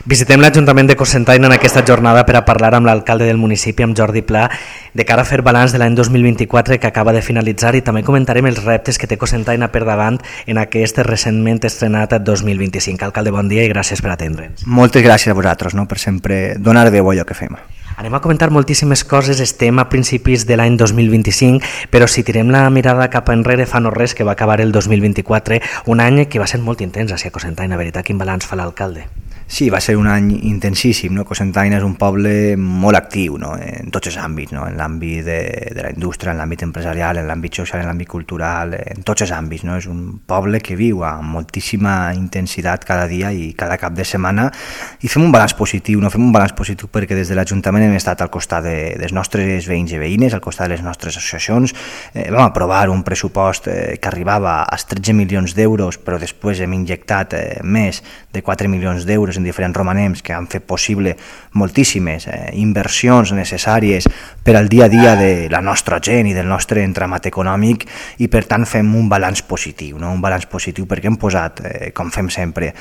Visitem l'Ajuntament de Cocentaina en aquesta jornada per a parlar amb l'alcalde del municipi, amb Jordi Pla, de cara a fer balanç de l'any 2024 que acaba de finalitzar, i també comentarem els reptes que té Cocentaina per davant en aquest recentment estrenat 2025. Alcalde, bon dia i gràcies per atendre'ns. Moltes gràcies a vosaltres, per sempre donar veu a allò que fem. Anem a comentar moltíssimes coses, estem a principis de l'any 2025, però si tirem la mirada cap enrere fa no res que va acabar el 2024, un any que va ser molt intens a Cocentaina, veritat, quin balanç fa l'alcalde? Sí, va ser un any intensíssim. Cocentaina és un poble molt actiu, en tots els àmbits, en l'àmbit de la indústria, en l'àmbit empresarial, en l'àmbit social, en l'àmbit cultural, en tots els àmbits. És un poble que viu amb moltíssima intensitat cada dia i cada cap de setmana, i fem un balanç positiu, fem un balanç positiu perquè des de l'Ajuntament hem estat al costat dels nostres veïns i veïnes, al costat de les nostres associacions. Vam aprovar un pressupost que arribava als 13 milions d'euros, però després hem injectat més de 4 milions d'euros en diferents romanems que han fet possible moltíssimes inversions necessàries per al dia a dia de la nostra gent i del nostre entramat econòmic, i per tant fem un balanç positiu, un balanç positiu perquè hem posat, com fem sempre,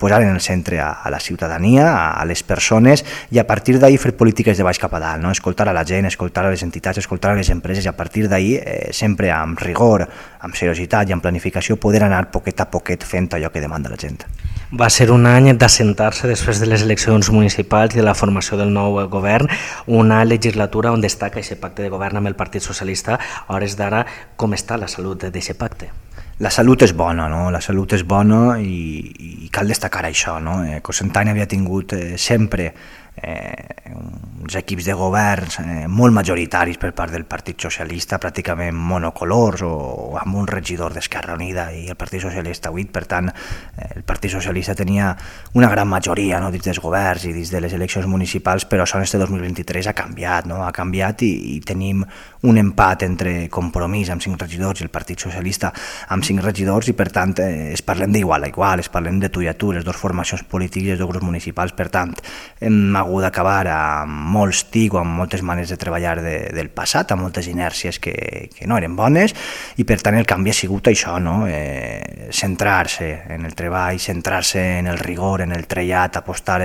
posar en el centre a la ciutadania, a les persones, i a partir d'ahir fer polítiques de baix cap a dalt, escoltar a la gent, escoltar a les entitats, escoltar a les empreses, i a partir d'ahir, sempre amb rigor, amb seriositat i amb planificació, poder anar poquet a poquet fent allò que demanda la gent. Va ser un any d'assentar-se després de les eleccions municipals i de la formació del nou govern, una legislatura on destaca aquest pacte de govern amb el Partit Socialista. A hores d'ara, com està la salut d'aquest pacte? La salut és bona, la salut és bona i cal destacar això. Cocentaina havia tingut sempre uns equips de governs molt majoritaris per part del Partit Socialista, pràcticament monocolors o amb un regidor d'Esquerra Unida i el Partit Socialista 8, per tant el Partit Socialista tenia una gran majoria dins dels governs i dins de les eleccions municipals, però això en este 2023 ha canviat i tenim un empat entre Compromís amb 5 regidors i el Partit Socialista amb 5 regidors, i per tant es parlem d'igual a igual, es parlem de tu i a tu, les dues formacions polítiques i els dos grups municipals. Per tant hem hagut d'acabar amb molts tics o amb moltes maneres de treballar del passat, amb moltes inèrcies que no eren bones, i per tant el canvi ha sigut això, centrar-se en el treball, centrar-se en el rigor, en el trellat, apostar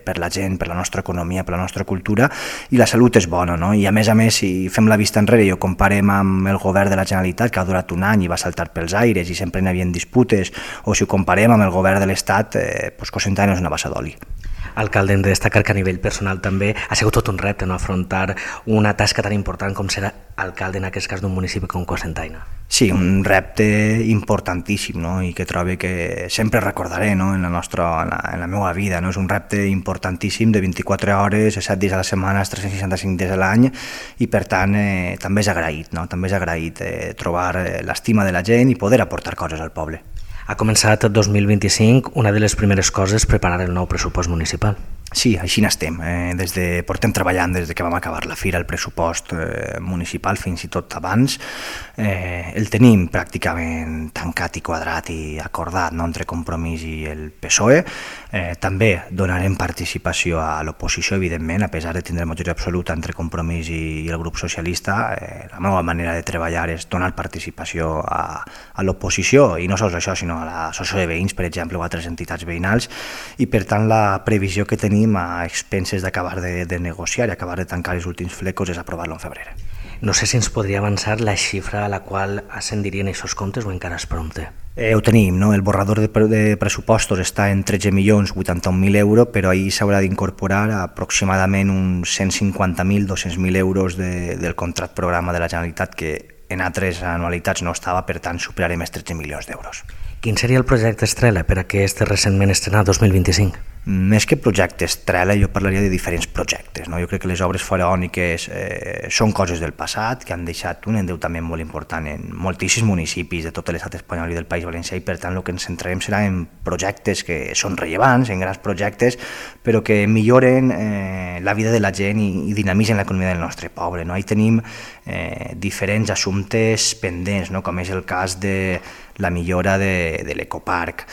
per la gent, per la nostra economia, per la nostra cultura, i la salut és bona, i a més, si fem la vista enrere i ho comparem amb el govern de la Generalitat, que ha durat un any i va saltar pels aires i sempre n'hi havia disputes, o si ho comparem amb el govern de l'Estat, Cocentaina és una bassa d'oli. Alcalde, hem de destacar que a nivell personal també ha sigut tot un repte afrontar una tasca tan important com ser alcalde, en aquest cas d'un municipi com Cocentaina. Sí, un repte importantíssim, i que trobo que sempre recordaré en la meva vida. És un repte importantíssim de 24 hores, 7 dies a la setmana, 365 dies a l'any, i per tant també és agraït, també és agraït trobar l'estima de la gent i poder aportar coses al poble. Ha començat el 2025, una de les primeres coses, preparar el nou pressupost municipal. Sí, així n'estem. Portem treballant des que vam acabar la fira el pressupost municipal, fins i tot abans. El tenim pràcticament tancat i quadrat i acordat entre Compromís i el PSOE. També donarem participació a l'oposició, evidentment, a pesar de tindre majoria absoluta entre Compromís i el grup socialista. La meva manera de treballar és donar participació a l'oposició, i no sols això, sinó a l'associació de veïns, per exemple, o a altres entitats veïnals, i per tant la previsió que tenim a expenses d'acabar de negociar i acabar de tancar els últims flecos és aprovar-lo en febrer. No sé si ens podria avançar la xifra a la qual ascendirien aquests comptes o encara és prompte. Ho tenim, el borrador de pressupostos està en 13.081.000 euros, però ahir s'haurà d'incorporar aproximadament uns 150.000, 200.000 euros del contracte programa de la Generalitat, que en altres anualitats no estava, per tant superarem els 13 milions d'euros. Quin seria el projecte estrella per a aquest recentment estrenat 2025? Més que projecte estrella, jo parlaria de diferents projectes. Jo crec que les obres faraòniques són coses del passat, que han deixat un endeutament molt important en moltíssims municipis de tot l'estat espanyol i del País Valencià, i per tant el que ens centrarem serà en projectes que són rellevants, en grans projectes, però que milloren la vida de la gent i dinamitzen l'economia del nostre poble. Ahí tenim diferents assumptes pendents, com és el cas de la millora de l'ecoparc,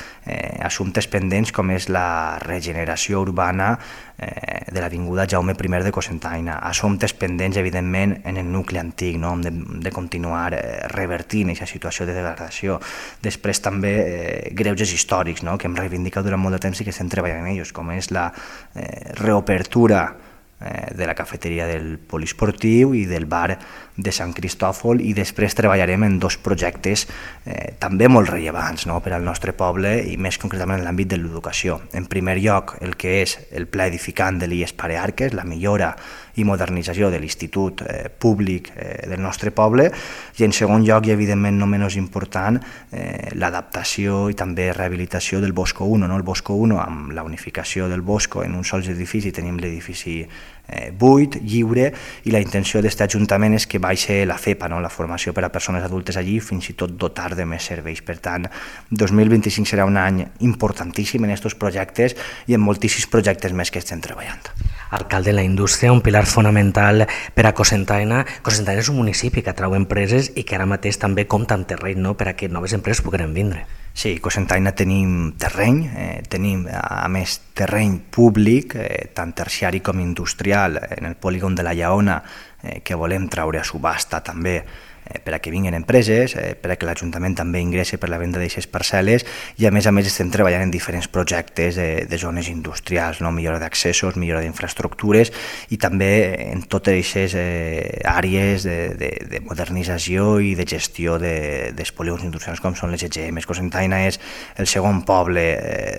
assumptes pendents com és la regeneració urbana de l'avinguda Jaume I de Cocentaina, assumptes pendents, evidentment, en el nucli antic, no? Hem de continuar revertint aquesta situació de degradació. Després també greuges històrics, no? Que hem reivindicat durant molt de temps i que estem treballant en ells, com és la reobertura de la cafeteria del poliesportiu i del bar de Sant Cristòfol, i després treballarem en dos projectes també molt rellevants, no? Per al nostre poble i més concretament en l'àmbit de l'educació. En primer lloc, el que és el pla edificant de l'IES Parearques, la millora i modernització de l'institut públic del nostre poble, i en segon lloc, i evidentment no menys important, l'adaptació i també rehabilitació del Bosco 1, no? El Bosco 1, amb la unificació del Bosco en un sol edifici, tenim l'edifici buit, lliure, i la intenció d'aquest ajuntament és que baixi la FEPA, no? La formació per a persones adultes allí, fins i tot dotar de més serveis. Per tant, 2025 serà un any importantíssim en aquests projectes i en moltíssims projectes més que estem treballant. Alcalde, la indústria, un pilar fonamental per a Cocentaina. Cocentaina és un municipi que atrau empreses i que ara mateix també compta amb terreny, no?, per a que noves empreses puguin vindre. Sí, a Cocentaina tenim terreny, tenim a més terreny públic, tant terciari com industrial, en el polígon de la Lleona, que volem traure a subhasta també per a que vinguin empreses, per a que l'Ajuntament també ingressi per la venda d'aquestes parcel·les, i a més estem treballant en diferents projectes de zones industrials, no? Millora d'accessos, millora d'infraestructures i també en totes aquestes àrees de modernització i de gestió dels polígons industrials com són les EGM. Cocentaina és el segon poble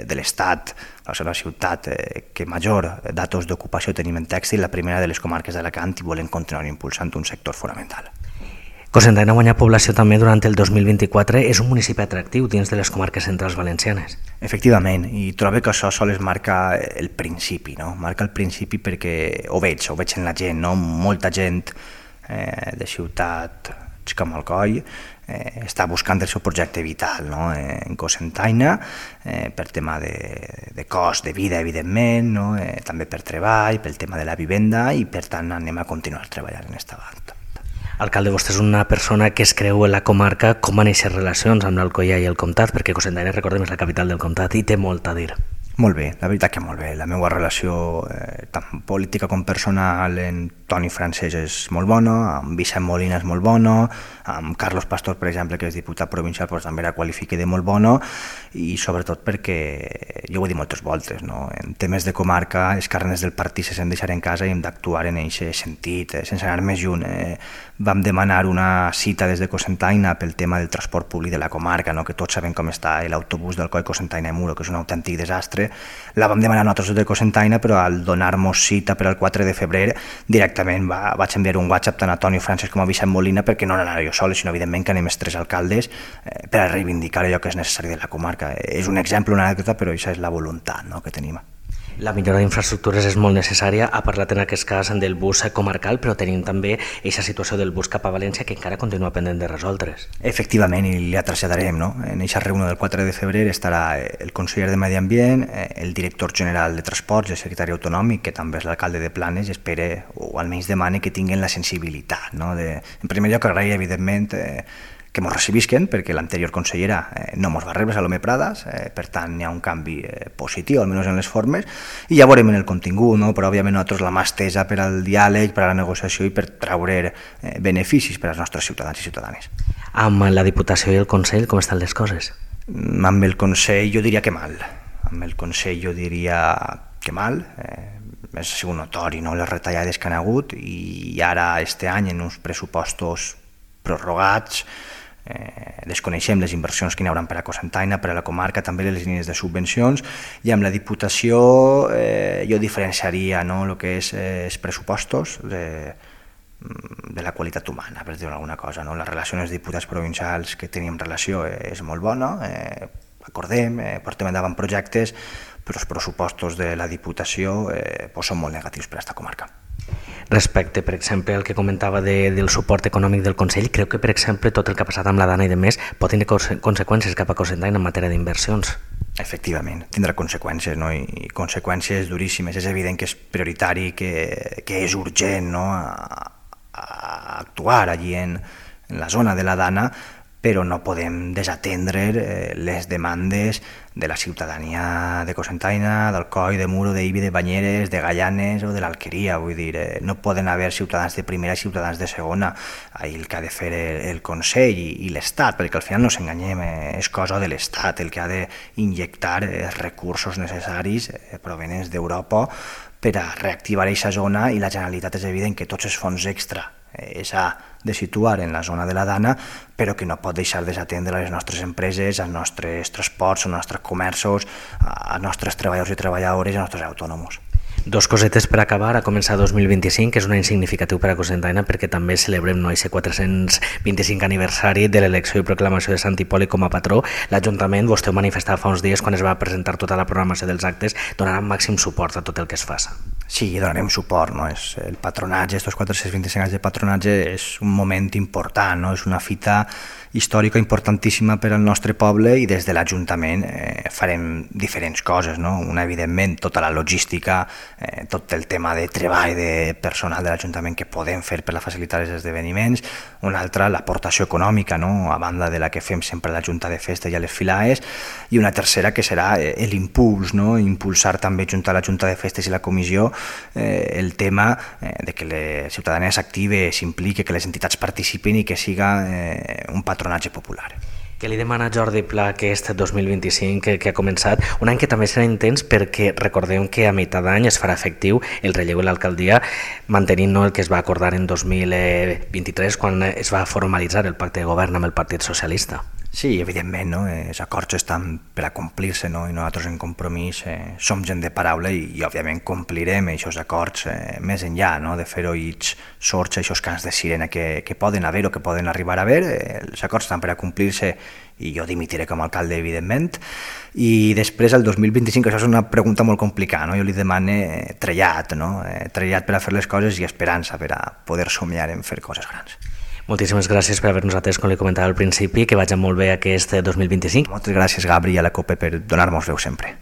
de l'Estat, la segona ciutat que major datos d'ocupació tenim en tèxtil, la primera de les comarques d'Alacant, i volem continuar impulsant un sector fonamental. Cocentaina guanya població també durant el 2024, és un municipi atractiu dins de les comarques centrals valencianes. Efectivament, i trobo que això sols marca el principi, no? Marca el principi perquè ho veig en la gent, no? Molta gent de ciutat com Alcoi està buscant el seu projecte vital, no? En Cocentaina, per tema de cost de vida, evidentment, no? També per treball, pel tema de la vivenda, i per tant anem a continuar treballant en aquesta banda. Alcalde, vostè és una persona que es creu en la comarca. Com van néixer relacions amb l'Alcoià i el Comtat? Perquè Cocentaina, recordem, és la capital del Comtat i té molt a dir. Molt bé, la veritat que molt bé. La meva relació, tant política com personal, amb Toni Francesc és molt bona, amb Vicent Molina és molt bona, amb Carlos Pastor, per exemple, que és diputat provincial, doncs també la qualifica de molt bona, i sobretot perquè, jo ho he dit moltes voltes, no? En temes de comarca, els carnets del partit se sent deixar en casa i hem d'actuar en aquest sentit, sense anar més lluny. Vam demanar una cita des de Cocentaina pel tema del transport públic de la comarca, no? Que tots sabem com està l'autobús del Coi Cocentaina i Muro, que és un autèntic desastre. La vam demanar nosaltres de Cocentaina, però al donar-nos cita per al 4 de febrer directament vaig enviar un WhatsApp tant a Toni Francesc com a Vicent Molina, perquè no anava jo sol, sinó evidentment que anem els tres alcaldes per a reivindicar allò que és necessari de la comarca. És un exemple, una anècdota, però això és la voluntat, no?, que tenim. La millora d'infraestructures és molt necessària. Ha parlat en aquest cas del bus comarcal, però tenim també aquesta situació del bus cap a València que encara continua pendent de resoldre's. Efectivament, i la traslladarem, no? En aquesta reunió del 4 de febrer estarà el conseller de Medi Ambient, el director general de Transports, el secretari autonòmic, que també és l'alcalde de Planes, i espera, o almenys demana, que tinguin la sensibilitat, no? En primer lloc, agrair, evidentment, que ens recibisquen, perquè l'anterior consellera no ens va rebre, Salomé Pradas, per tant hi ha un canvi positiu, almenys en les formes, i ja veurem en el contingut, no? Però òbviament nosaltres la mà estesa per al diàleg, per a la negociació i per treure beneficis per als nostres ciutadans i ciutadanes. Amb la Diputació i el Consell, com estan les coses? Amb el Consell jo diria que mal. Amb el Consell jo diria que mal. Ha sigut notori, no?, les retallades que han hagut, i ara, este any, en uns pressupostos prorrogats, desconeixem les inversions que hi haurà per a Cocentaina, per a la comarca, també les línies de subvencions, i amb la Diputació jo diferenciaria, no?, el que és els pressupostos de la qualitat humana, per dir alguna cosa, no? La relació amb els diputats provincials que tenim relació és molt bona, acordem, portem endavant projectes, però els pressupostos de la Diputació són molt negatius per a aquesta comarca. Respecte, per exemple, al que comentava del suport econòmic del Consell, creu que, per exemple, tot el que ha passat amb la Dana i de més pot tenir conseqüències cap a Cocentaina en matèria d'inversions? Efectivament, tindrà conseqüències, no? I conseqüències duríssimes. És evident que és prioritari, que és urgent, no?, a actuar allí en la zona de la Dana, però no podem desatendre les demandes de la ciutadania de Cocentaina, d'Alcoi, de Muro, d'Ibi, de Banyeres, de Gallanes o de l'Alqueria. Vull dir, no poden haver ciutadans de primera i ciutadans de segona. Ahí el que ha de fer el Consell i l'Estat, perquè al final no s'enganyem, és cosa de l'Estat el que ha d'injectar els recursos necessaris provenents d'Europa per a reactivar aquesta zona, i la Generalitat és evident que tots els fons extra s'ha de situar en la zona de la Dana, però que no pot deixar desatendre a les nostres empreses, als nostres transports, als nostres comerços, als nostres treballadors i treballadores i als nostres autònoms. Dos cosetes per acabar. A començar 2025, que és un any significatiu per a Cocentaina perquè també celebrem aquest 425 aniversari de l'elecció i proclamació de Sant Hipòlit com a patró. L'Ajuntament, vostè ho manifestava fa uns dies quan es va presentar tota la programació dels actes, donarà màxim suport a tot el que es faça. Sí, donarem suport. No? El patronatge, aquests 425 anys de patronatge, és un moment important, no? És una fita històrica importantíssima per al nostre poble, i des de l'Ajuntament farem diferents coses. No? Una, evidentment, tota la logística, tot el tema de treball de personal de l'Ajuntament que podem fer per a facilitar els esdeveniments. Una altra, l'aportació econòmica, no? A banda de la que fem sempre a la Junta de Festes i a les Filaes. I una tercera, que serà l'impuls, no? Impulsar també, junt a la Junta de Festes i la Comissió, el tema de que la ciutadania s'active, s'impliqui, que les entitats participin i que siga un patronatge popular. Què li demana Jordi Pla aquest 2025 que ha començat? Un any que també serà intens perquè recordem que a meitat d'any es farà efectiu el relleu a l'alcaldia, mantenint el que es va acordar en 2023 quan es va formalitzar el pacte de govern amb el Partit Socialista. Sí, evidentment, no? Els acords estan per a complir-se, no? I nosaltres en Compromís som gent de paraula i òbviament complirem aquests acords més enllà, no? De fer oïts sords a aquests cants de sirena que poden haver o que poden arribar a haver. Els acords estan per a complir-se i jo dimitiré com a alcalde, evidentment. I després, el 2025, això és una pregunta molt complicada, no? Jo li demane trellat, no? Trellat per a fer les coses i esperança per a poder somiar en fer coses grans. Moltíssimes gràcies per haver-nos atès, com li comentava al principi, que vagi molt bé aquest 2025. Moltes gràcies, Gabri, i a la COPE per donar-nos veu sempre.